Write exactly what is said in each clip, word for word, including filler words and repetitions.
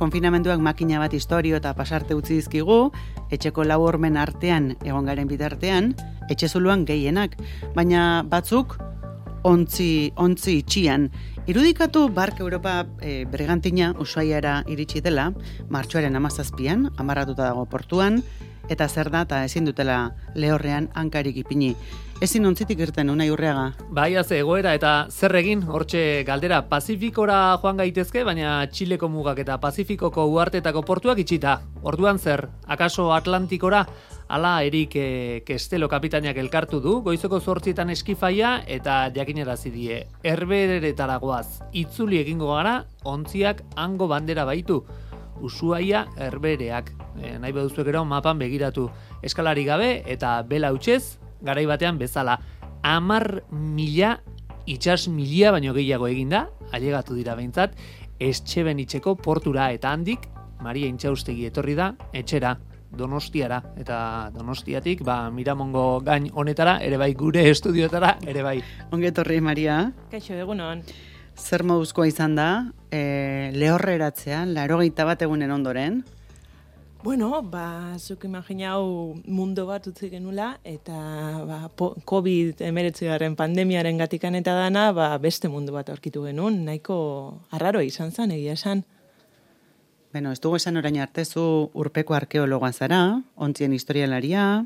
konfinamenduak makina bat historio eta pasarte utzi dizkigu, etxeko lau hormen artean egon garen bitartean, etxe zuluan gehienak, baina batzuk ontzi, ontzi itxian. Irudikatu Bark Europa e, Bergantina Ushuaiara iritsi dela, martxoaren hamazazpian, amarratuta dago portuan, eta zer da eta ezin dutela lehorrean hankarik ipini. Ezin ontzitik irten, Unai Urreaga? Bai, az egoera eta zer egin, hortxe galdera Pazifikora joan gaitezke, baina Txileko mugak eta Pazifikoko uhartetako portuak itxita. Orduan zer, akaso Atlantikora, ala Erik e, Kestelo kapitainak elkartu du, goizoko zortzietan eskifaia eta jakinarazi die. Herberetara goaz, itzuli egingo gara, ontziak hango bandera baitu. Ushuaia herbereak. E, nahi baduzu gero mapan begiratu. Eskalari gabe eta bela hutsez, garai batean bezala. Amar mila, itxas milia baino gehiago eginda, ailegatu dira behintzat, Estxeben itxeko portura eta handik, Maria Intxaustegi etorri da, etxera, Donostiara, eta Donostiatik, ba, Miramongo gain honetara, ere bai gure estudioetara, ere bai. Onge etorri, Maria. Kaixo, egunon. Zer moduzkoa izan da, e, lehorreratzean, laurogeita bat egunen ondoren? Bueno, ba, zuk imaginau mundu bat utzi genula, eta ba, COVID hemeretzigarren pandemiaren gatikan eta dana, ba, beste mundu bat aurkitu genuen, nahiko arraro izan zen, egia esan. Beno, ez dugu esan orain arte, zu urpeko arkeologoa zara, ontzien historialaria.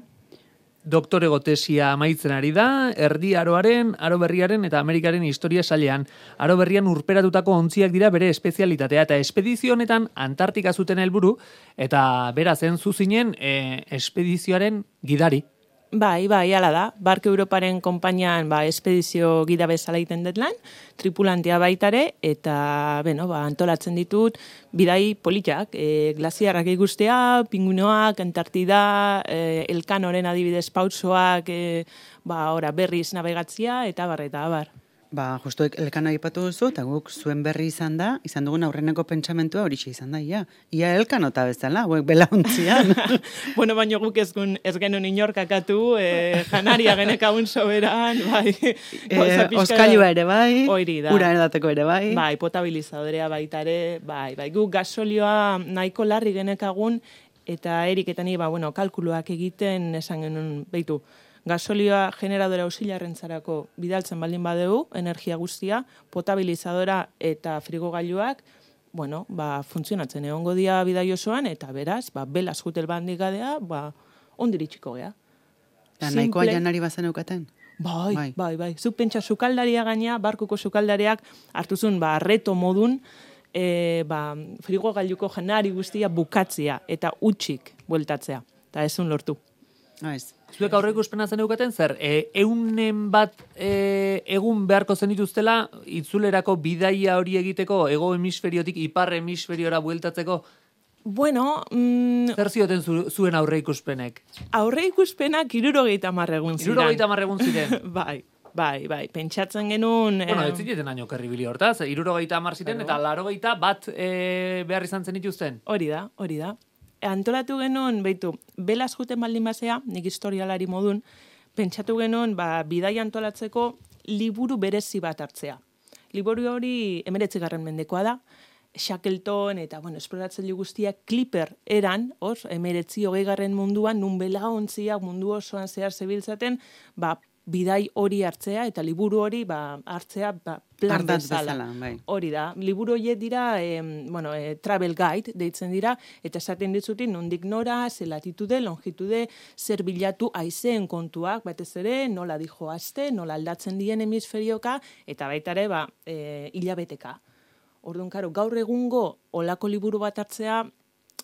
Doktorego tesia amaitzen ari da, erdi aroaren, aro berriaren eta Amerikaren historia sailean. Aro berrian urperatutako ontziak dira bere espezialitatea eta espedizio honetan Antartika zuten helburu eta bera zen zuzinen e, espedizioaren gidari. Bai, bai, hala da. Bark Europaren konpainian ba, espedizio gida bezala egiten dut lan, tripulantea baitare, eta bueno, ba, antolatzen ditut bidai politak, e, glaziarrak ikustea, pinguinoak, Antartida, e, Elkanoren adibidez pausoak, e, ba, ora, berriz navegatzia, eta bar, eta bar. Ba, justu Elkano aipatu duzu, eta guk zuen berri izan da, izan dugun aurreneko pentsamentua horixe izan da, ia. Ia Elkanota bezala, hauek belauntzian. Bueno, baino guk ez, ez genuen inorkakatu, e, janaria genekaun soberan, bai. E, Oskailua ere bai, oiri da. Ura edateko ere bai. Bai, potabilizadorea baitare, bai, bai. Guk gasolioa nahiko larri genekagun, eta Erik eta ni, ba, bueno, kalkuluak egiten esan genuen, beitu, gasolioa generadora auxiliarrentzarako bidaltzen baldin badegu, energia guztia, potabilizadora eta frigogailuak, bueno, ba, funtzionatzen egongo dia bidai osoan, eta beraz, ba, belaz jutel bandik gadea, ba, ondiritxiko gea. Da, nahikoa janari bazen eukaten? Bai, bai, bai, bai. Zuk pentsa sukaldaria gaina, barkuko sukaldariak hartuzun, ba, reto modun, e, ba, frigogailuko janari guztia bukatzea, eta utxik bueltatzea, eta ezun lortu. Aiz. Zuek aurreko espena zen eukaten zer, e, eunen bat e, egun beharko zenituztela, itzulerako bidaia hori egiteko, ego hemisferiotik ipar hemisferiora bueltatzeko? Bueno... Mm, zer zioten zu, zuen aurre ikuspenek? Aurre ikuspenak irurogeita marregun ziren. Irurogeita marregun ziren? Bai, bai, bai, pentsatzen genuen... Bueno, eh, ez zineten aino kerribili hortaz, irurogeita mar ziren, eta larogeita bat e, behar izan zenituzten? Hori da, hori da. Antolatu genuen, beitu, belaz juten baldin basea, nik historialari modun, pentsatu genuen, ba, bidai antolatzeko liburu berezi bat hartzea. Liburu hori emeretzigarren mendekoa da, Shackleton eta, bueno, esploratzen guztiak Clipper eran, hor, emeretzi hogeigarren munduan, nun belaontziak mundu osoan zehar zebiltzaten, ba, bidai hori hartzea, eta liburu hori ba, hartzea ba, plan bezala. Bai. Hori da. Liburu horiek dira, eh, bueno, eh, travel guide deitzen dira, eta esaten ditzutin nondik nora, ze latitude, longitude, zer bilatu haizeen kontuak, batez ere, nola dijoazte, nola aldatzen dien hemisferioka, eta baita ere, ba, eh, hilabeteka. Orduan, karo, gaur egungo olako liburu bat hartzea,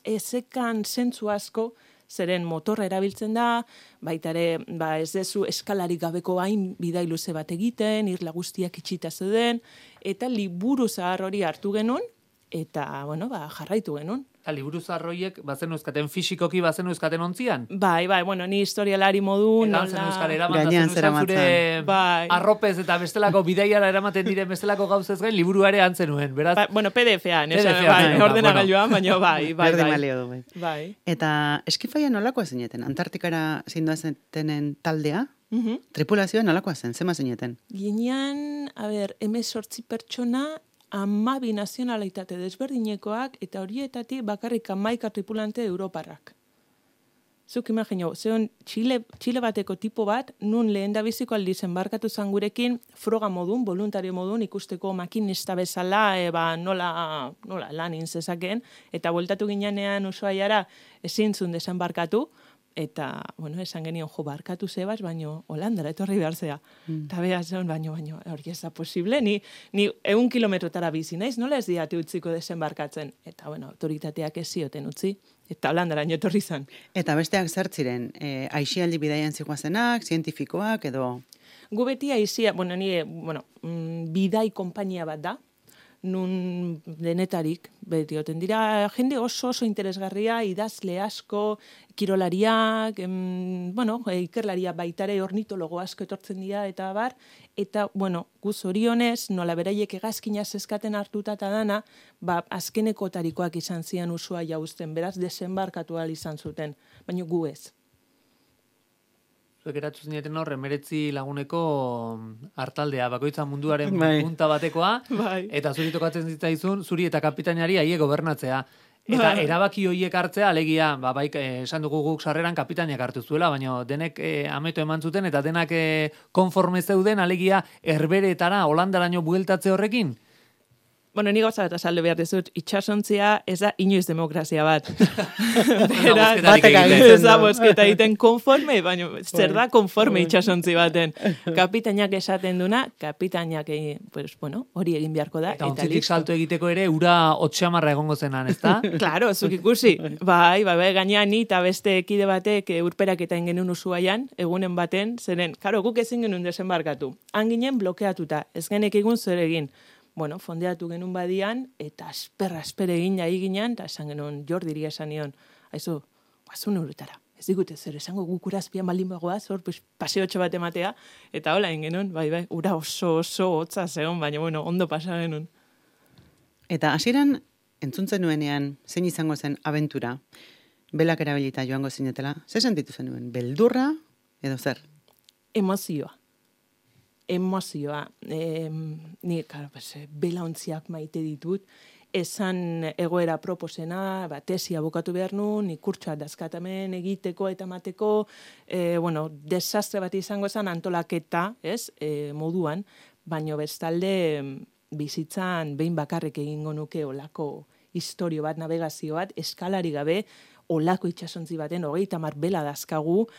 ezekan zentzu asko, zeren motorra erabiltzen da, baita ere, ba, ez dezu eskalarik gabeko hain bidai luze bat egiten, irla guztiak itxita zeuden, eta liburu zahar hori hartu genuen, eta, bueno, ba, jarraitu genuen. Eta liburu zarroiek bazen euskaten fisikoki bazen euskaten ontzian? Bai, bai, bueno, ni historialari modu... Egan zen euskal eraman, da zen zure bai. arropez eta bestelako bidaiara eramaten diren bestelako gauzez gain, liburu ere antzen nuen, beraz? Ba, bueno, P D F-an, P D F-an, bai, bai, ordenagailuan, baina bai, bai, Berdin bai. balio du, bai. Bai. Eta eskifaia nolakoa zineten? Antartikara zindoa zetenen taldea? Uh-huh. Tripulazioa nolakoa zen? Zema zineten? Ginean, a ber, emezortzi pertsona, hamabi nazionalitate desberdinekoak, eta horietatik bakarrik hamaika tripulante europarrak. Zuk imagino, zeon Txile, Txile bateko tipo bat, nun lehen da biziko aldiz enbarkatu zan gurekin, froga modun, voluntario modun, ikusteko makinista bezala, e, ba, nola, nola lan inzezakeen, eta bueltatu ginean Ushuaiara ezin zun desembarkatu, eta, bueno, esan genion, jo, barkatu zebaz, baino, Holandara etorri behar zea. Mm. Eta beha zeon, baino, baino, hori ez da posible, ni, ni eun kilometrotara bizi naiz, nola ez diate utziko desembarkatzen? Eta, bueno, autoritateak ez zioten utzi, eta Holandara etorri zan. Eta besteak zertziren, e, aixialdi bidaian zikoazenak, zientifikoak, edo... Gu beti aizia, bueno, nire, bueno, mm, bidai konpainia bat da, nun denetarik, beti oten dira, jende oso oso interesgarria, idazle asko, kirolariak, em, bueno, ikerlaria baitare ornitologo asko etortzen dira, eta bar, eta, bueno, guz orionez, nola beraiek egazkina zeskaten hartuta eta dana, ba, azkenekotarikoak izan zian usua jauzten, beraz, desembarkatu ahal izan zuten, baina gu ez. Zuek eratu zineten hor, emeretzi laguneko hartaldea, bakoitza munduaren punta batekoa, bai. Eta zuri tokatzen zitzaizun, zuri eta kapitainari aie gobernatzea. Eta bai. Erabaki horiek hartzea, alegia, ba, bai, esan dugu guk sarreran kapitainak hartu zuela, baina denek eh, ameto eman zuten, eta denak eh, konforme zeuden, alegia, herberetara, Holandaraino bueltatze horrekin. Bueno, ni gauza bat azaldu behar dizut, itxasontzia ez da inoiz demokrazia bat. Beraz, batek ez da bozketa egiten konforme, baina zer da konforme itxasontzi baten. Kapitainak esaten duna, kapitainak pues, bueno, hori egin beharko da. Eta ontzitik salto egiteko ere, ura otxamarra egongo zenan, ez da? Claro, zuk ikusi. Bai, bai, bai, gainean ni eta beste ekide batek urperak eta ingenun Ushuaian, egunen baten, zeren, karo, guk ezin genuen desembarkatu. Han ginen blokeatuta, ez genek egun zer egin. Bueno, fondeatu genuen badian, eta asperra, asperra egin jai ginen, eta esan genuen Jordiri esan nion, haizu, guazun urutara, ez digute zer, esango guk urazpian baldin bagoaz, hor, pues, paseotxo bat ematea, eta hola egin genuen, bai, bai, ura oso, oso, hotza zegoen, baina, bueno, ondo pasa genuen. Eta hasieran entzuntzen nuenean, zein izango zen abentura, belak erabilita joango zinetela, ze sentitu zenuen, beldurra, edo zer? Emozioa. Emozioa, e, ni, karo, pues, belaontziak maite ditut, esan egoera proposena, ba, tesia bukatu behar nun, ikurtsoa dazkatamen egiteko eta mateko, e, bueno, desastre bat izango zen antolaketa, ez, e, moduan, baino bestalde bizitzan behin bakarrik egingo nuke olako historio bat, navegazio bat, eskalari gabe, olako itxasontzi baten, hogeita mar bela dazkagu,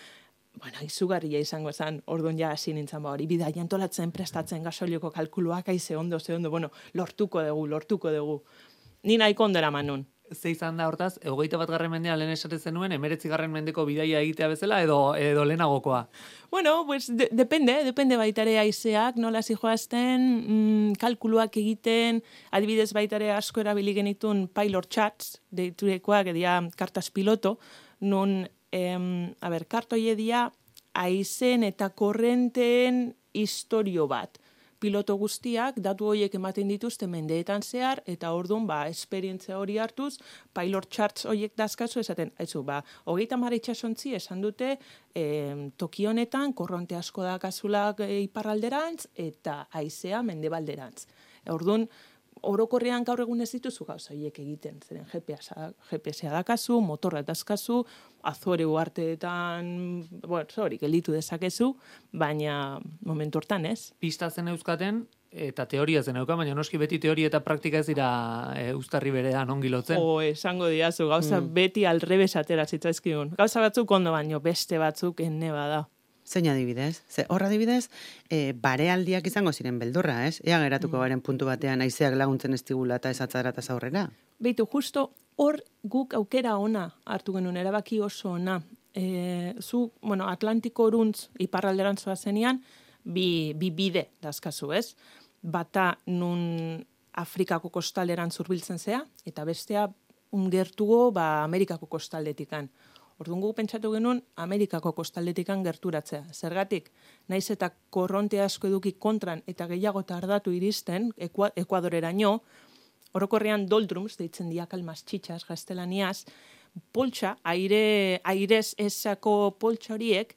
bueno, izugarria izango zen, orduan ja hasi nintzen ba hori, bidai antolatzen, prestatzen, gasolioko kalkuluak, aize ondo, ze ondo, bueno, lortuko dugu, lortuko dugu. Ni nahiko ondera manun. Ze izan da hortaz, hogeita bat garren mendea lehen esate zenuen, emeretzi garren mendeko bidaia egitea bezala, edo, edo lehenagokoa? Bueno, pues, de, depende, depende baitare aizeak, nola zijoazten, mm, kalkuluak egiten, adibidez baitare asko erabili genitun pilot chats, deiturekoak, edia kartas piloto, nun, Em, a ber, kartoie dia aizen eta korrenteen historio bat. Piloto guztiak datu horiek ematen dituzte mendeetan zehar, eta orduan, ba, esperientzia hori hartuz, pilot charts horiek dazkazu esaten, haizu, ba, hogeita mar itxasontzi esan dute, em, toki honetan, korronte asko dakazulak e, iparralderantz, eta aizea mendebalderantz. Orduan, orokorrean gaur egun ez dituzu gauza horiek egiten, zeren G P S-a dakazu, motorra dazkazu, Azore uarteetan, bueno, hori, gelditu dezakezu, baina momentu hortan ez. Pista zen euskaten, eta teoria zen eukan, baina noski beti teoria eta praktika ez dira e, uztarri berean ongi lotzen. O, esango diazu, gauza mm. beti alrebes atera zitzaizkigun. Gauza batzuk ondo baino, beste batzuk enne bada. Zein adibidez? Ze, horra adibidez, e, barealdiak izango ziren beldurra, ez? Ea geratuko garen puntu batean aizeak laguntzen ez digula eta ez atzara eta zaurrera. Beitu, justo hor guk aukera ona hartu genuen, erabaki oso ona. E, zu, bueno, Atlantiko oruntz iparralderan zoa zenian, bi, bi bide dazkazu, ez? Bata nun Afrikako kostalderan zurbiltzen zea, eta bestea ungertugo ba, Amerikako kostaldetikan. Orduan guk pentsatu genuen Amerikako kostaldetikan gerturatzea. Zergatik, naiz eta korronte asko eduki kontran eta gehiago tardatu iristen, Ekuadoreraino, orokorrean doldrums, deitzen diak almas txitxas, gaztelaniaz, poltsa, aire, airez esako poltsa horiek,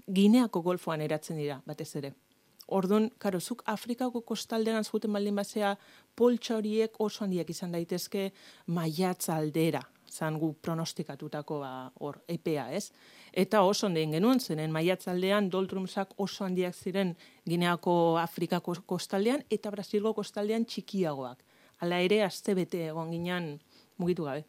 Gineako golfoan eratzen dira, batez ere. Orduan, karo, zuk Afrikako kostalderan zuten baldin bazea, poltsa horiek oso handiak izan daitezke maiatz aldera, zan gu pronostikatutako ba, hor, epea, ez? Eta oso ondein genuen, zenen maiatz aldean doldrumsak oso handiak ziren Gineako Afrikako kostaldean eta Brasilgo kostaldean txikiagoak. Hala ere, aste bete egon ginen mugitu gabe.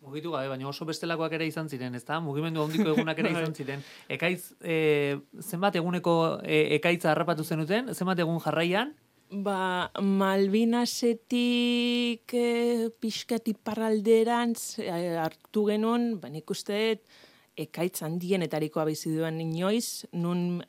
Mugitu gabe, baina oso bestelakoak ere izan ziren, ezta? Mugimendu handiko egunak ere izan ziren. Ekaitz, e, zenbat eguneko e, ekaitza harrapatu zenuten? Zenbat egun jarraian? Ba, Malvinasetik e, pixkat iparralderantz e, hartu genuen, ba, nik uste ekaitz handienetarikoa bizi duen inoiz, nun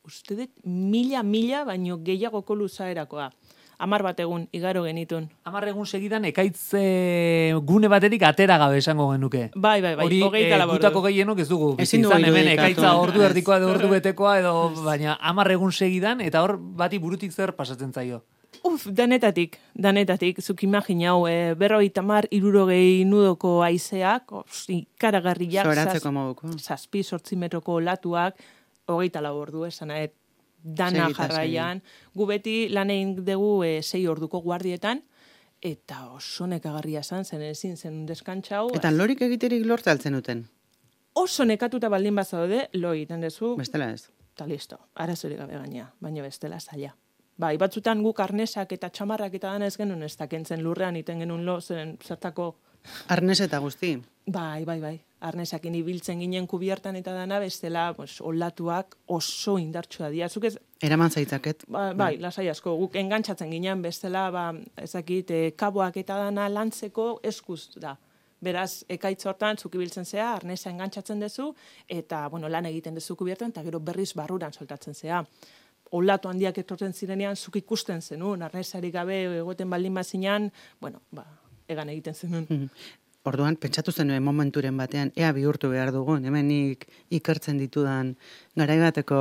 uste dut mila, mila, baino gehiagoko luzaerakoa. Amar bat egun, igaro genitun. Amar egun segidan ekaitz e, gune batetik atera gabe esango genuke. Bai, bai, bai. Hori e, gutako gehienok ez dugu. Ezin izan dugu hemen irudikatu. ekaitza ordu erdikoa edo ordu betekoa edo baina amar egun segidan eta hor bati burutik zer pasatzen zaio. Uf, danetatik, danetatik, zuk imaginau, e, berroi tamar irurogei nudoko aizeak, ikaragarriak, Zoratzeko moduko. zazpi sortzi metroko latuak, hogeita lau ordu esan, et, dana Segita, jarraian. Gu beti lan egin dugu e, sei orduko guardietan, eta oso nekagarria zan, zen ezin zen deskantzau. Eta lorik egiterik lortza altzen duten. Oso nekatuta baldin bazaude, lo egiten dezu, Bestela ez. eta listo, arazorik gabe gaina, baina bestela zaila. Bai, batzutan guk arnesak eta txamarrak eta dana ez genuen ez dakentzen lurrean iten genuen lo, zen zertako... Arnes eta guzti. Bai, bai, bai. Arnesakin ibiltzen ginen kubiertan eta dana, bestela, pues, olatuak oso indartsua dira. Zuk ez, Eraman zaitzaket. ba, bai, lasai asko, guk engantzatzen ginen, bestela, ba, ezakit, e, kaboak eta dana lantzeko eskuz da. Beraz, ekaitz hortan, zuk ibiltzen zea, arnesa engantzatzen dezu, eta, bueno, lan egiten dezu kubiertan, eta gero berriz barruran soltatzen zea. Olatu handiak etortzen zirenean, zuk ikusten zenun, arnesarik gabe egoten baldin bazinan, bueno, ba, egan egiten zenun. Orduan, pentsatu zenuen momenturen batean, ea bihurtu behar dugun, hemenik ikertzen ditudan garaibateko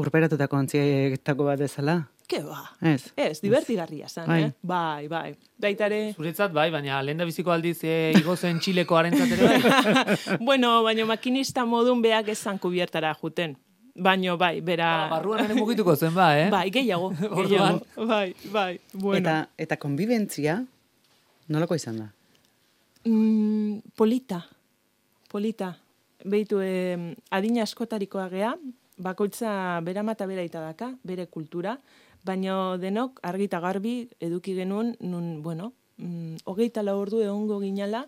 urperatutako ontzietako bat ezala? Ke ba? Ez. Ez, divertigarria zen, Bai. eh? Bai, bai. Baitare... Zuretzat bai, baina lehen da biziko aldiz e, igozen Txileko arentzat ere bai. Bueno, baina makinista modun beak esan kubiertara juten. Baino, bai, bera... Ba, barruan ere mugituko zen ba, eh? Bai, gehiago, Orduan. gehiago. Bai, bai, bueno. Eta, eta konbibentzia, nolako izan da? Mm, polita, polita. Beitu, eh, adina askotarikoa gea, bakoitza bera mata bera itadaka, bere kultura, baina denok argita garbi eduki genuen, nun, bueno, mm, hogeita lau ordu egongo ginala,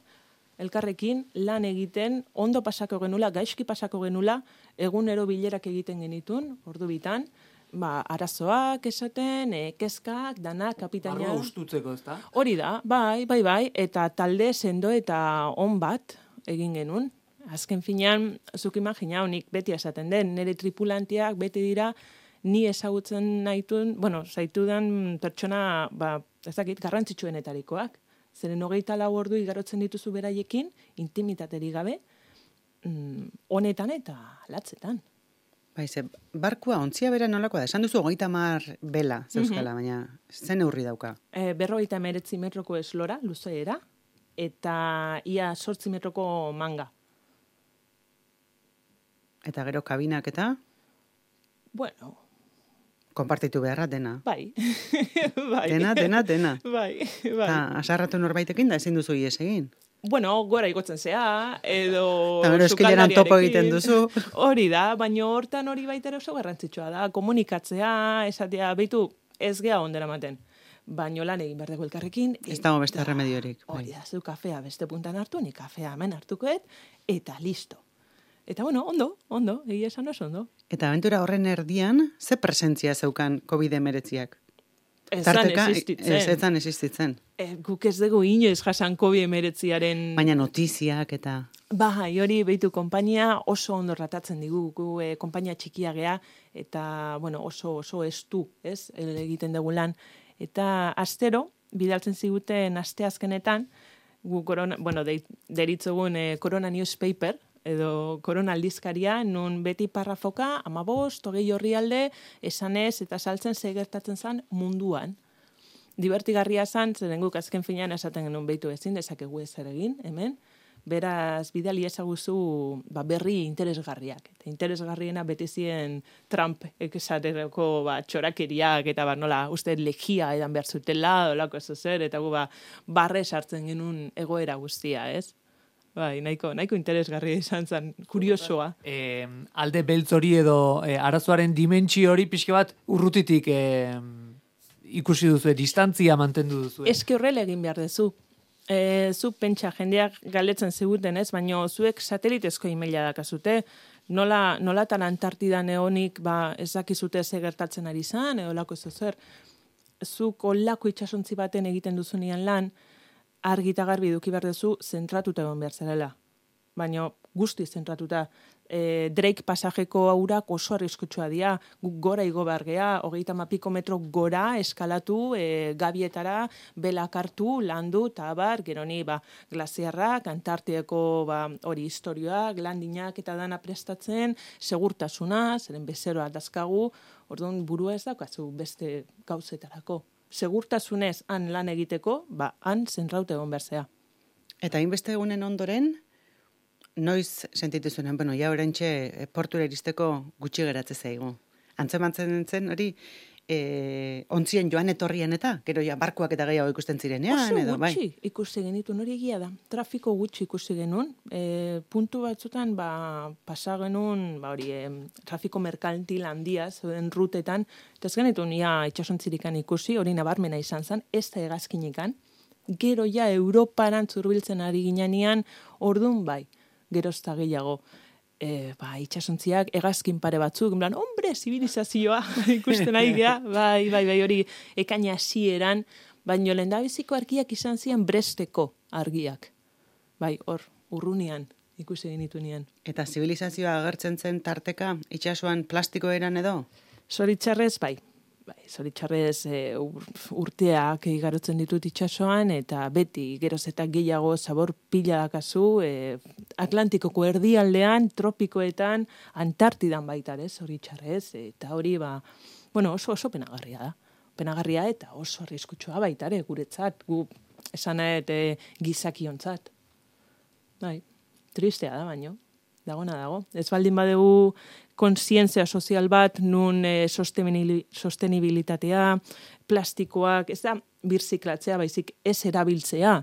elkarrekin lan egiten, ondo pasako genula, gaizki pasako genula, egunero bilerak egiten genitun, ordu bitan, ba, arazoak esaten, e, kezkak, dana, kapitaina. Barrua ustutzeko, ezta? Hori da, bai, bai, bai, eta talde sendo eta on bat egin genuen. Azken finean, zuk imagina, nik beti esaten den, nire tripulantiak beti dira, ni ezagutzen nahituen, bueno, zaitudan pertsona, ba, ez dakit, garrantzitsuenetarikoak. Zeren hogeita lau ordu igarotzen dituzu beraiekin, intimitateri gabe, mm, honetan eta latzetan. Bai, ze, barkua ontzia bera nolakoa da? Esan duzu hogeita mar bela, zeuskala, baina zen neurri dauka. E, berrogeita emeretzi metroko eslora, luzeera, eta ia sortzi metroko manga. Eta gero kabinak eta Bueno, konpartitu beharra dena. bai. bai. Dena, dena, dena. Bai, bai. Eta asarratu norbaitekin da ezin duzu ies egin. Bueno, gora igotzen zea, edo... Eta gero eskileran topo egiten duzu. Hori da, baina hortan hori baita ere oso garrantzitsua da. Komunikatzea, esatea, beitu, ez gea ondera maten. Baina lan egin behar dugu elkarrekin. Ez dago beste remediorik. Hori da, zu kafea beste puntan hartu, ni kafea hemen hartukoet, eta listo. Eta bueno, ondo, ondo, egia esan oso ondo. Eta abentura horren erdian, ze presentzia zeukan covid hemeretziak? Ezan Tarteka, existitzen. ez ezan existitzen. E, guk ez dugu inoiz jasan covid hemeretziaren... Baina notiziak eta... Bai, hori behitu konpainia oso ondo ratatzen digu, gu e, konpainia txikia gea, eta bueno, oso oso estu, ez, egiten dugu lan. Eta astero, bidaltzen ziguten asteazkenetan, gu korona, bueno, de, deritzogun e, Corona Newspaper, edo korona aldizkaria, nun beti parrafoka, amabost, hogei horrialde, esanez eta saltzen ze gertatzen zen munduan. Divertigarria zan, zeren guk azken finean esaten genuen behitu ezin, dezakegu ezer egin, hemen, Beraz, bidali ezaguzu ba, berri interesgarriak. Eta interesgarriena beti ziren Trump esaterako ba, txorakeriak eta ba, nola, uste legia edan behar zutela, olako ez zer, eta gu ba, barre sartzen genuen egoera guztia, ez? Bai, nahiko, nahiko interesgarria izan zen, kuriosoa. E, alde beltz hori edo e, arazoaren dimentsio hori pixke bat urrutitik e, ikusi duzu, distantzia mantendu duzu. Eske horrela egin behar dezu. E, zu pentsa jendeak galetzen ziguten ez, baina zuek satelitezko emaila dakazute, nola, nolatan Antartidan egonik ba, ez dakizute ze gertatzen ari zan, edo lako ez zer, zuk olako itxasontzi baten egiten duzunean lan, argi eta garbi duki behar duzu zentratuta egon behar zarela. Baina guzti zentratuta. E, Drake pasajeko aurak oso arriskutsua dira, guk gora igo behar gea, hogeita mapiko metro gora eskalatu, e, gabietara, belak hartu, landu, eta abar, geroni ba, glaziarrak, Antartiako ba, hori historioak, landinak eta dana prestatzen, segurtasuna, zeren bezeroa dazkagu, orduan burua ez daukazu beste gauzetarako. Segurtasunez han lan egiteko, ba, han zentraute egon behar zea. Eta hainbeste egunen ondoren, noiz sentitu zuen, bueno, ja orentxe portura iristeko gutxi geratze zaigu. Antzemantzen zen hori, e, ontzien joan etorrien eta, gero ja barkuak eta gehiago ikusten zirenean, Oso edo, bai. gutxi ikusi genitu, hori egia da. Trafiko gutxi ikusi genuen. E, puntu batzutan, ba, pasa genuen, ba, hori, e, trafiko merkantil handia, zeuden rutetan, eta ez genitun, ja, itxasontzirikan ikusi, hori nabarmena izan zen, ez da hegazkinikan. Gero ja, Europaran zurbiltzen ari ginean, ordun bai, gerozta gehiago, e, ba, itxasontziak hegazkin pare batzuk, en plan, hombre, zibilizazioa, ikusten ari gea, bai, bai, bai, hori, ekaina hasieran, baino lehendabiziko argiak izan ziren Bresteko argiak. Bai, hor, urrunian, ikusi genitunean. Eta zibilizazioa agertzen zen tarteka, itxasuan plastiko eran edo? Zoritxarrez, bai. Bai, zoritxarrez e, urteak igarotzen ditut itxasoan, eta beti geroz eta gehiago zabor pila dakazu, e, Atlantikoko erdialdean, tropikoetan, Antartidan baita, ez, zoritxarrez, eta hori, ba, bueno, oso oso penagarria da. Penagarria eta oso arriskutsua baita, ere, guretzat, gu esan e, gizakiontzat. Bai, tristea da, baino. Dagona dago. Ez baldin badegu kontzientzia sozial bat, nun e, sostenibilitatea, plastikoak, ez da birziklatzea, baizik ez erabiltzea,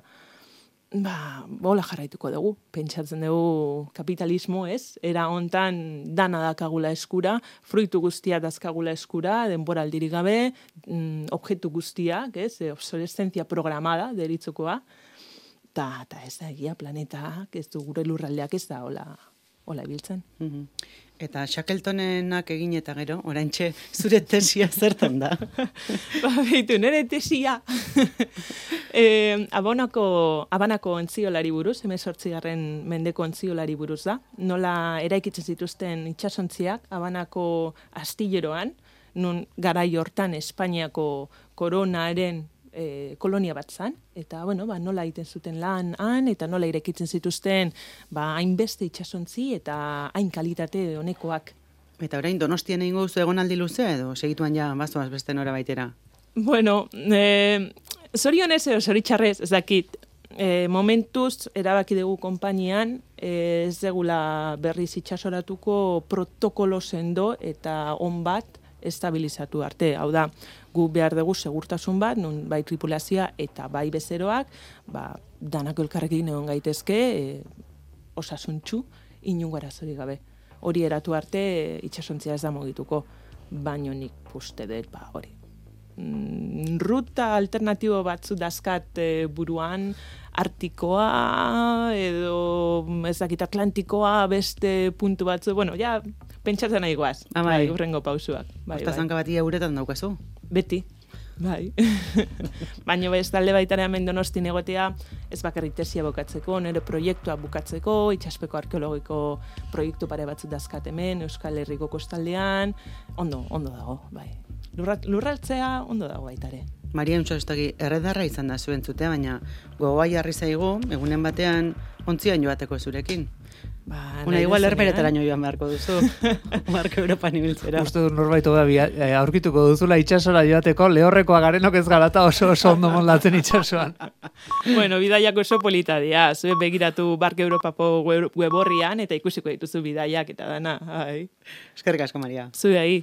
ba, bola jarraituko dugu. Pentsatzen dugu kapitalismo, ez? Era hontan dana dakagula eskura, fruitu guztia dazkagula eskura, denbora aldirik gabe, mm, objektu guztiak, ez? Obsolescentzia programada, deritzukoa, eta ez da egia planetak, ez du gure lurraldeak ez da, hola, hola ibiltzen. Mm-hmm. Eta Shackletonenak egin eta gero, oraintxe zure tesia zertan da? Ba, behitu, nire tesia. e, abonako, abanako ontziolari buruz, hemezortzigarren mendeko ontziolari buruz da. Nola eraikitzen zituzten itxasontziak, abanako astilleroan, nun garai hortan Espainiako koronaren E, kolonia bat zan, eta bueno, ba, nola egiten zuten lan han, eta nola irekitzen zituzten ba, hainbeste itxasontzi eta hain kalitate honekoak. Eta orain Donostian egingo duzu egonaldi luzea edo segituan ja bazoaz beste nora baitera? Bueno, e, zorionez edo zoritxarrez, ez dakit, e, momentuz erabaki dugu konpainian, e, ez degula berriz itxasoratuko protokolo sendo eta on bat estabilizatu arte. Hau da, gu behar dugu segurtasun bat, nun bai tripulazioa eta bai bezeroak, ba, danako elkarrekin egon gaitezke, e, osasuntxu, inungo arazorik gabe. Hori eratu arte, e, itxasontzia ez da mugituko, baino nik uste dut, ba, hori. Mm, ruta alternatibo batzu dazkat e, buruan, Artikoa, edo ez dakit Atlantikoa, beste puntu batzu, bueno, ja, pentsatzen nahi goaz, ah, bai. bai, urrengo pausuak. Bai, Horta zanka bati uretan daukazu? Beti, bai. Baina ez talde baitare hemen Donostin egotea, ez bakarrik tesia bukatzeko, nire proiektua bukatzeko, itxaspeko arkeologiko proiektu pare batzu dazkat hemen, Euskal Herriko kostaldean, ondo, ondo dago, bai. Lurra, lurraltzea ondo dago baitare. Maria Untxorostagi erredarra izan da zuen zute, baina gogoa jarri zaigu, egunen batean ontzian joateko zurekin. Ba, Una igual herberetaraino joan beharko duzu, Marko Europan ibiltzera. Uste dut norbait hobea aurkituko duzula itsasora joateko, lehorrekoa garenok ez garata oso oso ondo moldatzen itsasoan. Bueno, bidaiak oso polita dira, zue begiratu Barke Europako web orrian eta ikusiko dituzu bidaiak eta dana. Ai. Eskerrik asko, Maria. Zuei.